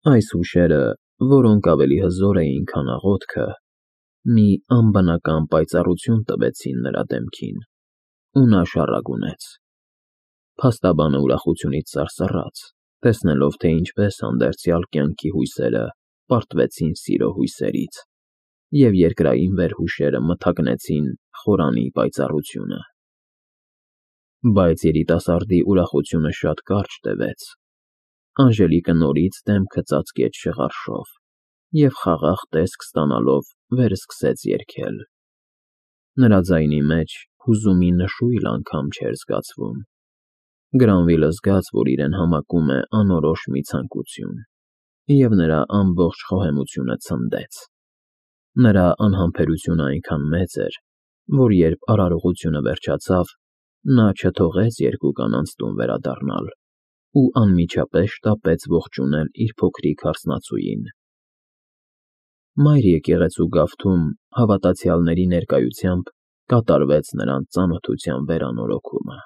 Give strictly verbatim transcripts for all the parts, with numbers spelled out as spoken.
Այս հուշերը, որոնք ավելի հզոր էին, քան աղոթքը, մի անբնական պայծառություն տվեցին նրա դեմքին, ու նա շառագունեց. փաստաբանը ուրախությունից սարսռաց, տեսնելով, թե ինչպես հանդերձյալ կյանքի հույսերը պարտվեցին սիրո հույսերից, և երկրային վերհուշերը մթագնեցին խորանի պայծառությունը։ Բայց երիտասարդի ուրախությունը շատ կարճ տևեց. Անժելիկը նորից դեմքը ծածկեց շղարշով և, խաղաղ տեսք ստանալով, վերսկսեց երգել։ Նրա ձայնի մեջ հուզումի նշույլ անգամ չէր զգացվում։ Գրանվիլը զգաց, որ իրեն համակում է անորոշ մի ցանկություն, և նրա ամբողջ խոհեմությունը ցնդեց։ Նրա անհամբերությունը այնքան մեծ էր, որ երբ արարողությունը վերջացավ, նա չթողեց երկու կանանց տուն վերադառնալ ու անմիջապես շտապեց ողջունել իր փոքրիկ հարսնացուին։ Մայր եկեղեցու գավթում հավատացյալների ներկայությամբ կատարվեց նրանց ծանոթության վերանորոգումը։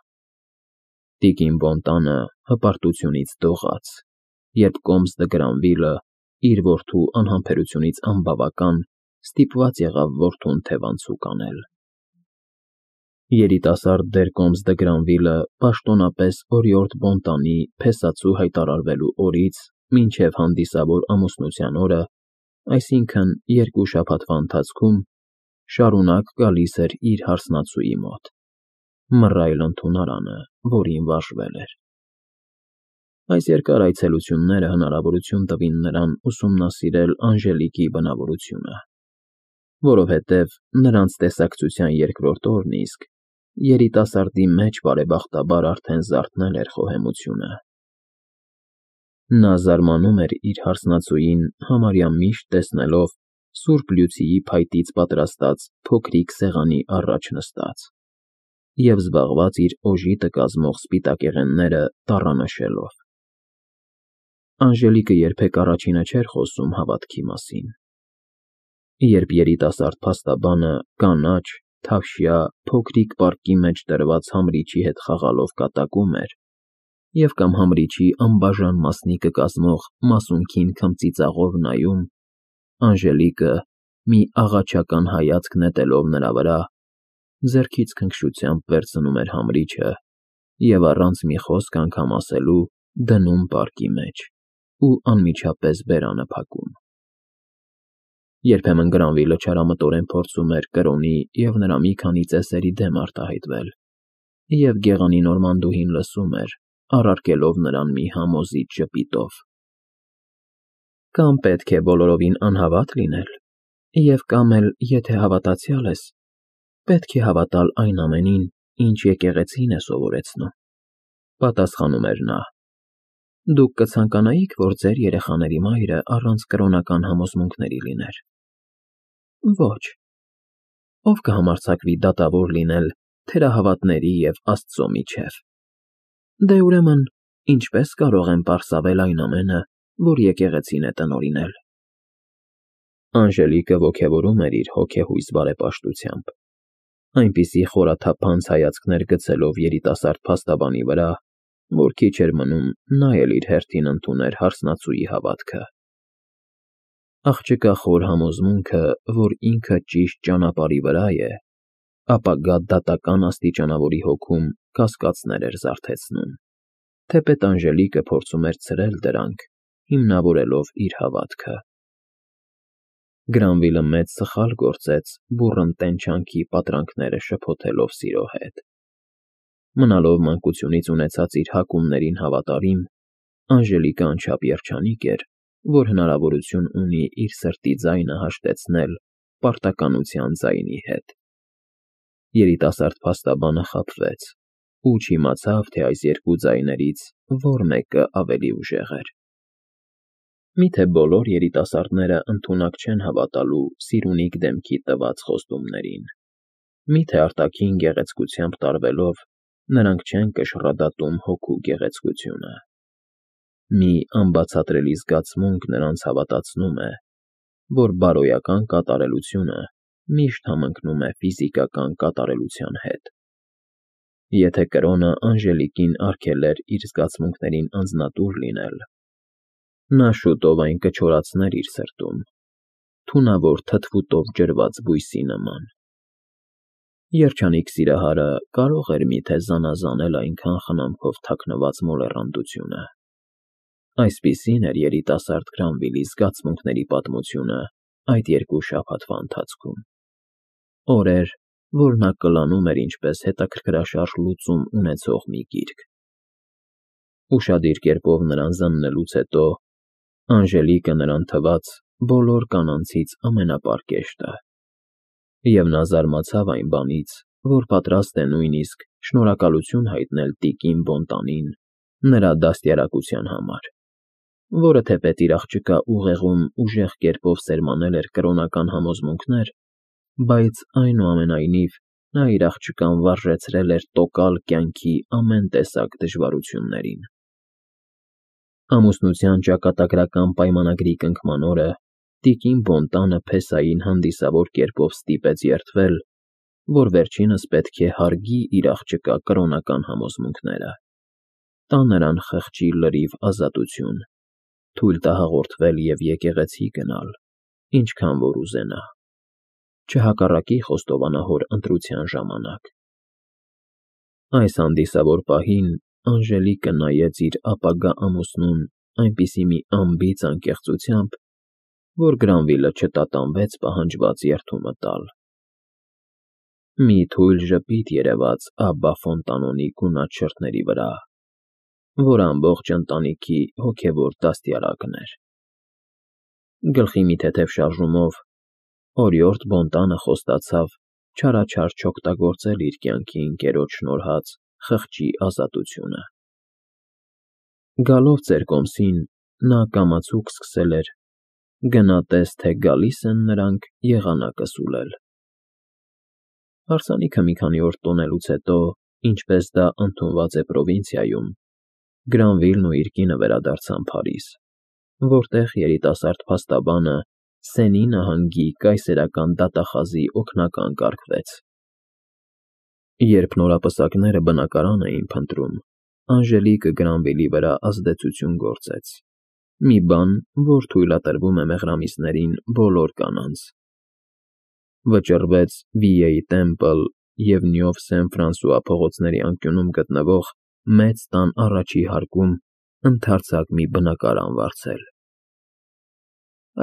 Տիկին Բոնտանը հպարտությունից դողաց, երբ կոմս դը Գրանվիլը, իր որդու անհամբերությունից անբավական, ստիպված եղավ որդուն թևանցուկ անել։ Երիտասարդ դեր կոմս դը Գրանվիլը պաշտոնապես օրիորդ Բոնտանի փեսացու հայտարարվելու օրից մինչև հանդիսավոր ամուսնության օրը, այսինքն՝ երկու շաբաթվա ընթացքում, շարունակ գալիս էր իր հարսնացուի մոտ, մռայլ ընդունարանը, որին վարժվել էր։ Այս երկար այցելությունները հնարավորություն տվին նրան ուսումնասիրել Անժելիկի բնավորությունը, որովհետև նրանց տեսակցության երկրորդ օրն իսկ երիտասարդի մեջ բարեբախտաբար արդեն զարթնել էր խոհեմությունը։ Նա զարմանում էր իր հարսնացուին համարյա միշտ տեսնելով սուրբ լյուցիի փայտից պատրաստած փոքրիկ սեղանի առաջ նստած և զբաղված իր օժիտը կազմող սպիտակեղենները տառանշելով։ Անժելիկը երբեք առաջինը չէր խոսում հավատքի մասին։ Երբ երիտասարդ փաստաբանը կանաչ, թավշյա, փոքրիկ պարկի մեջ դրված համրիչի հետ խաղալով կատակում էր և կամ համրիչի անբաժան մասնիկը կազմող մասունքին քմծիծաղով նայում, Անժելիկը, մի աղաչական հայացք նետելով նրա վրա, ձեռքից քնքշությամբ վերցնում էր համրիչը և առանց մի խոսք անգամ ասելու դնում պարկի մեջ ու անմիջապես բերանը փակում։ Երբեմն Գրանվիլը չարամտորեն փորձում էր կրոնի և նրա մի քանի ծեսերի դեմ արտահայտվել, և գեղանի նորմանդուհին լսում էր, առարկելով նրան մի համոզիչ ժպիտով։ Կամ պետք է բոլորովին անհավատ լինել, և կամ էլ, եթե հավատացյալ ես, պետք է հավատալ այն ամենին, ինչ եկեղեցին է սովորեցնում, պատասխանում էր նա։ Դուք կցանկանայի՞ք, որ ձեր երեխաների մայրը առանց կրոնական համոզմունքների լիներ։ Ոչ։ Ո՞վ կհամարձակվի դատավոր լինել թերահավատների և Աստծո միջև։ Դե ուրեմն, ինչպե՞ս կարող եմ պարսավել այն ամենը, որ եկեղեցին է տնօրինել։ Անժելիկը ոգևորում էր իր հոգեհույզ բարեպաշտությամբ, այնպիսի խորաթափանց հայացքներ գցելով երիտասարդ փաստաբանի վրա, որ քիչ էր մնում նա էլ իր հերթին ընդուներ հարսնացուի հավատքը։ Աղջկա խոր համոզմունքը, որ ինքը ճիշտ ճանապարհի վրա է, ապագա դատական աստիճանավորի հոգում կասկածներ էր զարթեցնում, թեպետ Անժելիկը փորձում էր ցրել դրանք, հիմնավորելով իր հավատքը։ Գրանվիլը մեծ սխալ գործեց բուռն տենչանքի պատրանքները շփոթելով սիրո հետ։ Մնալով մանկությունից ունեցած իր հակումներին հավատարիմ, Անժելիկը անչափ երջանիկ էր, որ հնարավորություն ունի իր սրտի ձայնը հաշտեցնել պարտականության ձայնի հետ։ Երիտասարդ փաստաբանը խաբվեց ու չիմացավ, թե այս երկու ձայներից որ մեկը ավելի ուժեղ էր։ Միթե բոլոր երիտասարդները ընդունակ չեն հավատալու սիրունիկ դեմքի տված խոստումներին։ Միթե արտաքին գեղեցկությամբ տարվելով նրանք չեն կշռադատում հոգու գեղեցկությունը։ Մի անբացատրելի զգացմունք նրանց հավատացնում է, որ բարոյական կատարելությունը միշտ համընկնում է ֆիզիկական կատարելության հետ։ Եթե կրոնը Անժելիկին արգելեր իր զգացմունքներին անձնատուր լինել, Նա շուտով այն կչորացներ իր սրտում, թունավոր թթվուտով ջրված բույսի նման։ Երջանիկ սիրահարը կարող էր միթե զանազանել այնքան խնամքով թաքնված մոլեռանդությունը։ Այսպիսին էր երիտասարդ Գրանվիլի զգացմունքների պատմությունը այդ երկու շաբաթվա ընթացքում։ Օրեր, որ նա կլանում էր ինչպես հետաքրքրաշարժ լուծում ունեցող մի գիրք։ Ուշադիր կերպով նրան զննելուց հետո Անժելիկը նրան թվաց բոլոր կանանցից ամենապարկեշտը, և նա զարմացավ այն բանից, որ պատրաստ է նույնիսկ շնորհակալություն հայտնել տիկին Բոնտանին նրա դաստիարակության համար, որը թեպետ իր աղջկա ուղեղում ուժեղ կերպով սերմանել էր կրոնական համոզմունքներ, բայց այնուամենայնիվ նա իր աղջկան վարժեցրել էր տոկալ կյանքի ամեն տեսակ դժվարություններին։ Ամուսնության ճակատագրական պայմանագրի կնքման օրը տիկին Բոնտանը Փեսային հանդիսավոր կերպով ստիպեց երդվել, որ վերջինս պետք է հարգի իր աղջկա կրոնական համոզմունքները, տա նրան խղճի լրիվ ազատություն, թույլ տա հաղորդվել և եկեղեցի գնալ, ինչքան որ ուզենա, չհակառակի խոստովանահոր ընտրության ժամանակ։ Այս հանդիսավոր պահին Անժելիկը նայեց իր ապագա ամուսնուն այնպիսի մի անբիծ անկեղծությամբ, որ Գրանվիլը չտատանվեց պահանջված երդումը տալ։ Մի թույլ ժպիտ երևաց Աբբա Ֆոնտանոնի գունատ շրթների վրա, որ ամբողջ ընտանիքի հոգևոր դաստիարակն էր։ Գլխի մի թեթև շարժումով օրիորդ Բոնտանը խոստացավ չարաչար չօգտագործել իր կյանքի ընկերոջ շնորհած խղճի ազատությունը։ Գալով ծեր կոմսին, նա կամացուկ սկսել էր. «Գնա տես, թե գալիս են նրանք եղանակը սուլել»։ Հարսանիքը մի քանի օր տոնելուց հետո, ինչպես դա ընդունված է պրովինցիայում, Գրանվիլն ու իր կինը վերադարձան Փարիզ, որտեղ երիտասարդ փաստաբանը Սենի նահանգի կայսերական դատախազի օգնական կարգվեց։ Երբ նորապսակները բնակարան էին փնտրում, Անժելիկը Գրանվիլի վրա ազդեցություն գործեց, մի բան, որ թույլատրվում է մեղրամիսներին բոլոր կանանց։ Վճռվեց Վիեի Տեմպլ և Նյով Սեն-Ֆրանսուଆ փողոցների անկյունում գտնվող մեծ տան առաջի հարկում ընդարձակ մի բնակարան վարձել։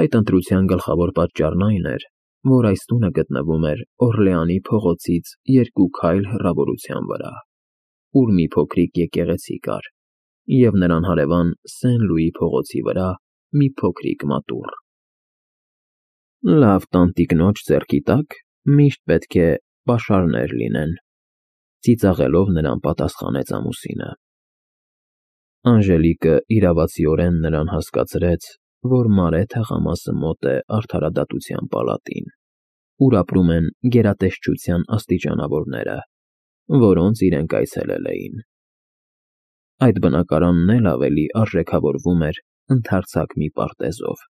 Այդ ընտրության գլխավոր պատճառն այն էր, որ այս տունը գտնվում էր Օրլեանի փողոցից երկու քայլ հեռավորության վրա, ուր մի փոքրիկ եկեղեցի կար, և նրան հարևան Սեն-Լուի փողոցի վրա մի փոքրիկ մատուռ։ Լավ տանտիկնոջ ձեռքի տակ միշտ պետք է պաշարներ լինեն, ծիծաղելով նրան պատասխանեց ամուսինը։ Անժելիկը իրավացիորեն նրան հասկացրեց, որ Մարե թաղամասը մոտ է արդարադատության պալատին, ուր ապրում են գերատեսչության աստիճանավորները, որոնց իրենք այցելել էին։ Այդ բնակարանն էլ ավելի արժեքավորվում էր ընդարձակ մի պարտեզով,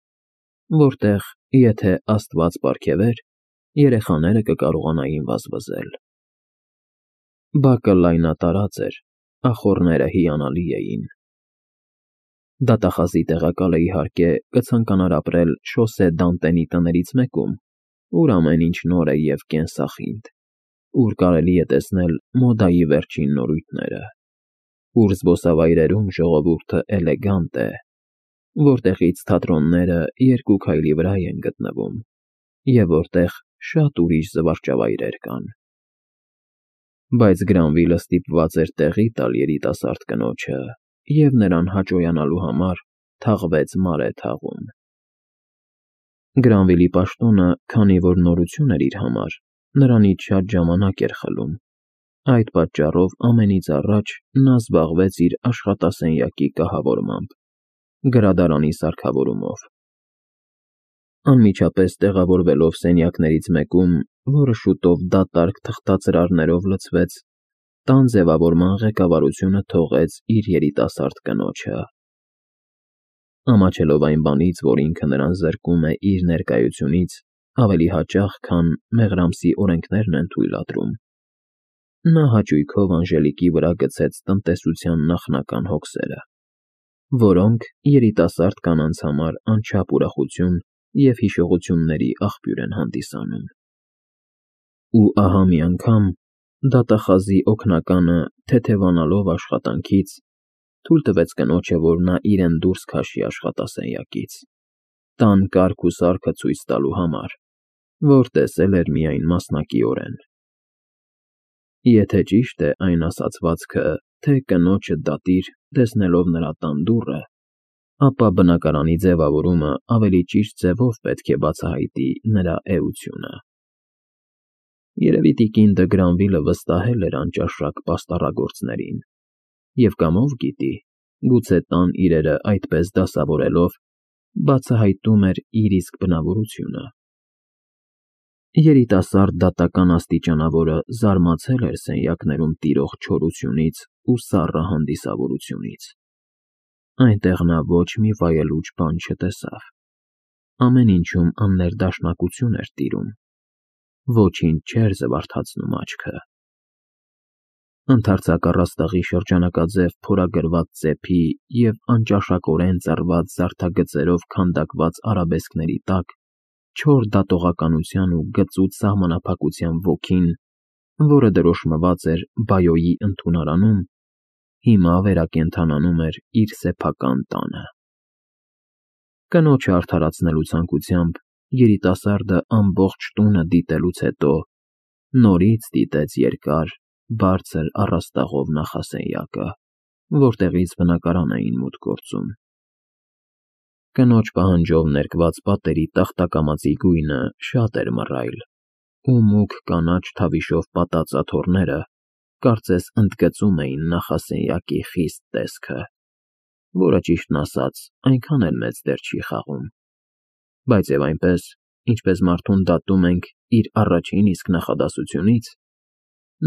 որտեղ, եթե Աստված պարգևեր, երեխաները կկարողանային վազվզել։ Բակը լայնատարած էր, ախոռները հիանալի էին։ Դատախազի տեղակալը, իհարկե, կցանկանար ապրել Շոսե Դանտենի տներից մեկում, ուր ամեն ինչ նոր է և կենսախինդ, ուր կարելի է տեսնել մոդայի վերջին նորույթները, ուր զբոսավայրերում ժողովուրդը էլեգանտ է, որտեղից թատրոնները երկու քայլի վրա են գտնվում, և որտեղ շատ ուրիշ զվարճավայրեր կան։ Բայց Գրանվիլը ստիպված էր տեղի տալ երիտասարդ կնոջը և նրան հաճոյանալու համար թաղվեց Մարե թաղում։ Գրանվիլի պաշտոնը, քանի որ նորություն էր իր համար, նրանից շատ ժամանակ էր խլում, այդ պատճառով ամենից առաջ նա զբաղվեց իր աշխատասենյակի կահավորմամբ, գրադարանի սարքավորումով։ Անմիջապես տեղավորվելով սենյակներից մեկում, որը շուտով դատարկ թղթածրարներով լցվեց, տան ձևավորման ղեկավարությունը թողեց իր երիտասարդ կնոջը։ Ամաչելով այն բանից, որ ինքը նրան զրկում է իր ներկայությունից ավելի հաճախ, քան մեղրամսի օրենքներն են թույլատրում, նա հաճույքով Անժելիկի վրա գցեց տնտեսության նախնական հոգսերը։ որոնք երիտասարդ կանանց համար անչափ ուրախություն և հիշողությունների աղբյուր են հանդիսանում։ Ու ահա մի անգամ դատախազի օգնականը, թեթևանալով աշխատանքից, թույլ տվեց կնոջը, որ նա իրեն դուրս քաշի աշխատասենյակից, տան կարգ ու սարքը ցույց տալու համար, որ տեսել էր միայն մասնակիորեն։ Եթե ճիշտ է այն ասացվածքը, թե կնոջը դատիր, տեսնելով նրա տան դուռը, ապա բնակարանի ձևավորումը ավելի ճիշտ ձևով պետք է բացահայտի նրա էությունը։ Երևի տիկին Դը Գրանվիլը վստահել էր անճաշակ պաստառագործներին և կամով գիտի, գուցե տան իրերը այդպես դասավորելով բացահայտում էր իր իսկ բնավորությունը։ Երիտասարդ դատական աստիճանավորը զարմացել էր սենյակներում տիրող չորությունից ու սառը հանդիսավորությունից։ Այնտեղ նա ոչ մի վայելուչ բան չտեսավ։ Ամեն ինչում աններդաշնակություն էր տիրում, ոչինչ չէր զվարթացնում աչքը։ Ընդարձակ առաստաղի շրջանակաձև փորագրված ծեփի և անճաշակորեն ծռված զարդագծերով քանդակված արաբեսկների տակ չոր դատողականության ու գծուծ սահմանափակության ոգին, որը դրոշմված էր Բայոյի ընդունարանում, հիմա վերակենդանանում էր իր սեփական տանը։ Կնոջը արդարացնելու ցանկությամբ երիտասարդը ամբողջ տունը դիտելուց հետո նորից դիտեց երկար, բարձր առաստաղով նախասենյակը, որտեղից բնակարան էին մուտք գործում։ Կնոջ պահանջով ներկված պատերի տախտակամածի գույնը շատ էր մռայլ, ու մուգ կանաչ թավիշով պատած աթոռները կարծես ընդգծում էին նախասենյակի խիստ տեսքը, որը, ճիշտն ասած, այնքան էլ մեծ դեր չի խաղում, բայց և այնպես, ինչպես մարդուն դատում ենք իր առաջին իսկ նախադասությունից,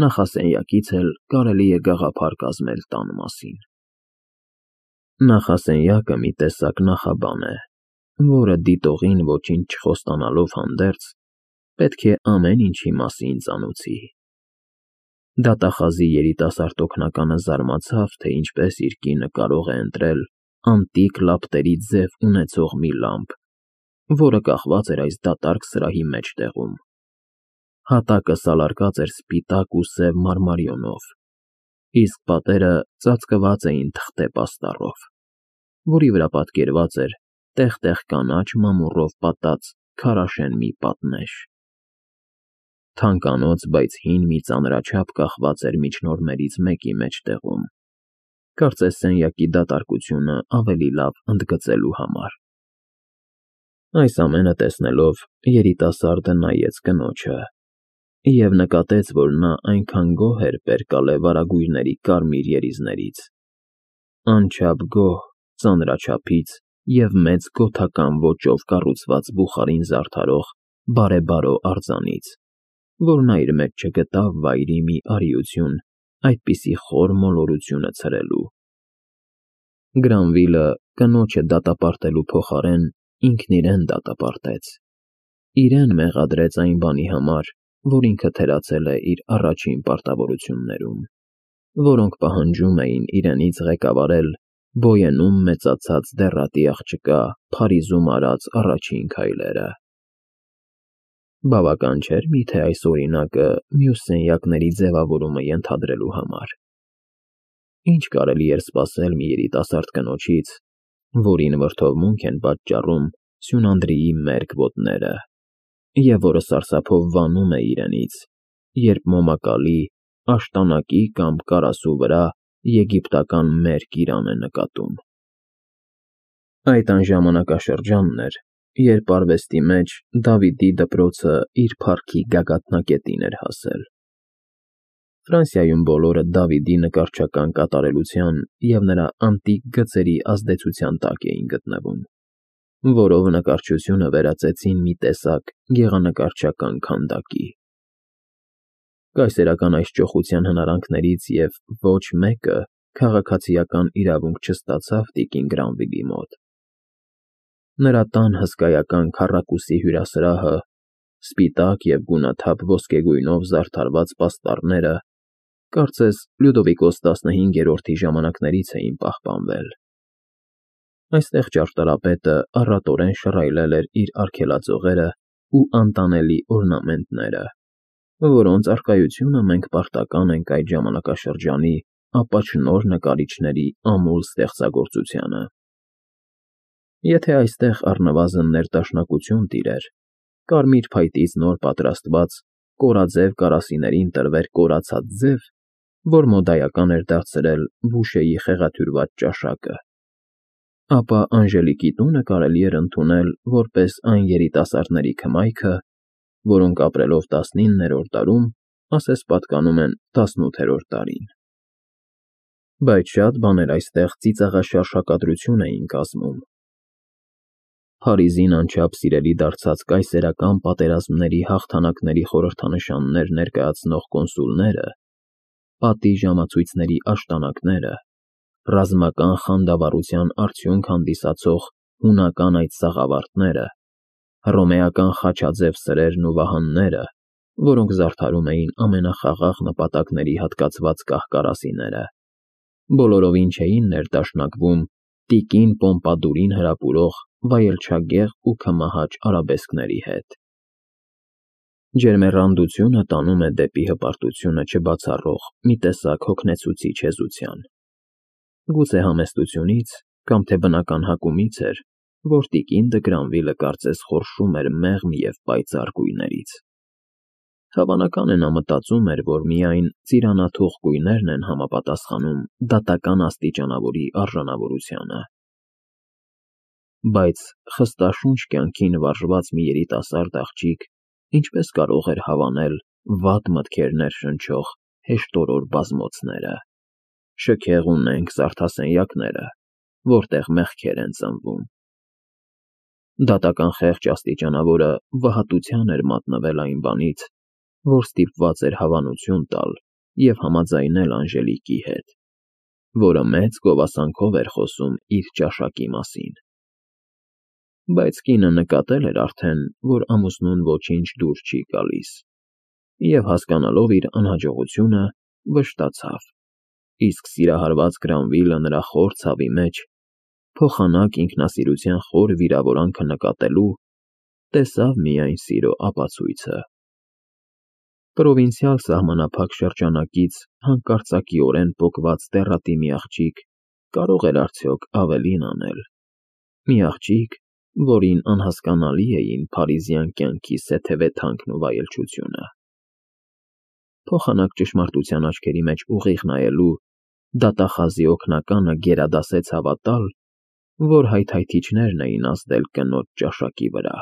նախասենյակից էլ կարելի է գաղափար կազմել տան մասին։ Նախասենյակը մի տեսակ նախաբան է, որը դիտողին ոչինչ չխոստանալով հանդերձ, պետք է ամեն ինչի մասին ծանոթի։ Դատախազի երիտասարդ օգնականը զարմացավ, թե ինչպես իր կինը կարող է ընտրել անտիկ լապտերի ձև ունեցող մի լամպ, որը կախված էր այս դատարկ սրահի մեջտեղում։ Հատակը սալարկած էր սպիտակ ու սև մարմարիոնով, իսկ պատերը ծածկված էին թղթե պաստառով, որի վրա պատկերված էր տեղ֊տեղ կանաչ մամուռով պատած քարաշեն մի պատնեշ։ Թանկանոց, բայց հին մի ծանրաչափ կախված էր միջնորմերից մեկի մեջտեղում, կարծես սենյակի դատարկությունը ավելի լավ ընդգծելու համար։ Այս ամենը տեսնելով երիտասարդը նայեց կնոջը և նկատեց, որ նա այնքան գոհ էր պերկալե վարագույրների կարմիր երիզներից, անչափ գոհ ծանրաչափից և մեծ գոթական ոճով կառուցված բուխարին զարդարող բարեբարո արձանից, որ նա իր մեջ չգտավ վայրի մի արիություն այդպիսի խոր մոլորությունը ցրելու։ Գրանվիլը կնոջը դատապարտելու փոխարեն ինքն իրեն դատապարտեց, իրեն մեղադրեց այն բանի համար, որ ինքը թերացել է իր առաջին պարտավորություններում, որոնք պահանջում էին իրենից ղեկավարել Բոյենում մեծացած դեռատի աղջկա Փարիզում արած առաջին քայլերը։ Բավական չէր միթե այս օրինակը մյուս սենյակների ձևավորումը ենթադրելու համար։ Ինչ կարելի էր սպասել մի երիտասարդ կնոջից, որին վրդովմունք են պատճառում Սյունանդրիի մերկ ոտները, և որը սարսափով վանում է իրենից, երբ մոմակալի, աշտանակի կամ կարասու վրա եգիպտական մերկ իրան է նկատում։ Այդ այն ժամանակաշրջանն էր, երբ արվեստի մեջ Դավիդի դպրոցը իր փառքի գագաթնակետին էր հասել։ Ֆրանսիայում բոլորը Դավիդի նկարչական կատարելության և նրա անտիկ գծերի ազդեցության տակ էին գտնվում, որով նկարչությունը վերածեցին մի տեսակ գեղանկարչական քանդակի։ Կայսերական այս ճոխության հնարանքներից և ոչ մեկը քաղաքացիական իրավունք չստացավ տիկին Գրանվիլի մոտ։ Նրա տան հսկայական քառակուսի հյուրասրահը, սպիտակ և գունաթափ ոսկեգույնով զարդարված պաստառները, կարծես Լյուդովիկոս տասնհինգերորդի ժամանակներից էին պահպանվել։ Այստեղ ճարտարապետը առատորեն շռայլել էր իր արգելածողերը ու անտանելի օրնամենտները, որոնց առկայությունը մենք պարտական ենք այդ ժամանակաշրջանի ապաչնոր նկարիչների ամուլ ստեղծագործությանը։ Եթե այստեղ առնվազն ներդաշնակություն տիրեր, կարմիր փայտից նոր պատրաստված կորաձև կարասիներին տրվեր կորացած ձև, որ մոդայական էր դարձրել Բուշեի խեղաթյուրված ճաշակը, ապա Անժելիկի տունը կարելի էր ընդունել որպես այն երիտասարդների քմայքը, որոնք ապրելով տասնիններորդ դարում ասես պատկանում են տասնութերորդ դարին։ Բայց շատ բաներ այստեղ ծիծաղաշարժ հակադրություն էին կազմում։ Փարիզին անչափ սիրելի դարձած կայսերական պատերազմների հաղթանակների խորհրդանշաններ ներկայացնող կոնսուլները, պատի ժամացույցների աշտանակները, ռազմական խանդավառության արդյունք հանդիսացող հունական այդ սաղավարտները, հռոմեական խաչաձև սրերն ու վահանները, որոնք զարդարում էին ամենախաղաղ նպատակների հատկացված կահ֊կարասիները, բոլորովին չէին ներդաշնակվում տիկին Պոմպադուրին հրապուրող վայելչագեղ ու քմահաճ արաբեսկների հետ։ Ջերմեռանդությունը տանում է դեպի հպարտությունը չբացառող մի տեսակ հոգնեցուցիչ հեզության։ Գուցե համեստությունից կամ թե բնական հակումից էր, որ տիկին Դը Գրանվիլը կարծես խորշում էր մեղմ և պայծառ գույներից։ Հավանական է, նա մտածում էր, որ միայն ծիրանաթուխ գույներն են համապատասխանում դատական աստիճանավորի արժանավորությանը։ Բայց խստաշունչ կյանքին վարժված մի երիտասարդ աղջիկ ինչպես կարող էր հավանել վատ մտքեր ներշնչող հեշտորոր բազմոցները, շքեղ ու նենգ զարդասենյակները, որտեղ մեղքեր են ծնվում։ Դատական խեղճ աստիճանավորը վհատության էր մատնվել այն բանից, որ ստիպված էր հավանություն տալ և համաձայնել Անժելիկի հետ, որը մեծ գովասանքով էր խոսում իր ճաշակի մասին։ Բայց կինը նկատել էր արդեն, որ ամուսնուն ոչինչ դուր չի գալիս, և հասկանալով իր անհաջողությունը, վշտացավ, իսկ սիրահարված Գրանվիլը նրա խոր ցավի մեջ, փոխանակ ինքնասիրության խոր վիրավորանքը նկատելու, տեսավ միայն սիրո ապացույցը։ Պրովինցիալ սահմանափակ շրջանակից հանկարծակիորեն պոկված տեռատի մի աղջիկ կարող էր արդյոք ավելին անել, մի աղջիկ, որին անհասկանալի էին փարիզյան կյանքի սեթևեթանքն ու վայելչությունը։ Փոխանակ ճշմարտության աչքերի մեջ ուղիղ նայելու, դատախազի օգնականը գերադասեց հավատալ, որ հայթայթիչներն էին ազդել կնոջ ճաշակի վրա։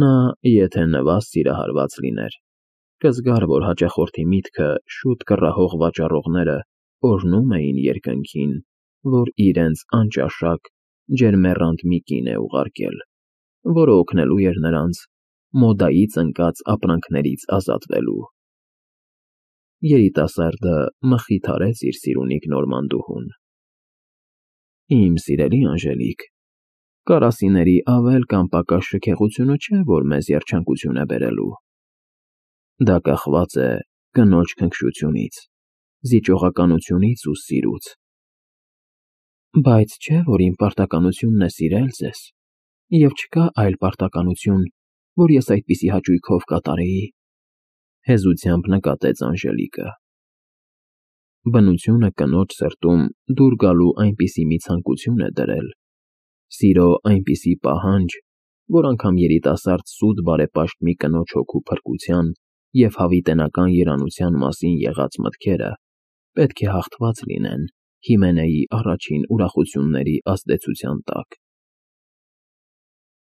Նա, եթե նվազ սիրահարված լիներ, կզգար, որ հաճախորդի միտքը շուտ կռահող վաճառողները օրհնում էին երկնքին, որ իրենց անճաշակ, ջերմեռանդ մի կին է ուղարկել, որը օգնելու էր նրանց մոդայից ընկած ապրանքներից ազատվելու։ Երիտասարդը մխիթարեց իր սիրունիկ նորմանդուհուն. «Իմ սիրելի Անժելիկ, կարասիների ավել կամ պակաս շքեղությունը չէ, որ մեզ երջանկություն է բերելու։ Դա կախված է կնոջ քնքշությունից, զիջողականությունից ու սիրուց։ Բայց չէ՞ որ իմ պարտականությունն է սիրել ձեզ, և չկա այլ պարտականություն, որ ես այդպիսի հաճույքով կատարեի», հեզությամբ նկատեց Անժելիկը։ Բնությունը կնոջ սրտում դուր գալու այնպիսի մի ցանկություն է դրել, սիրո այնպիսի պահանջ, որ անգամ երիտասարդ սուտ բարեպաշտ մի կնոջ հոգու փրկության և հավիտենական երանության մասին եղած մտքերը պետք է հաղթված լինեն Հիմենեի առաջին ուրախությունների ազդեցության տակ։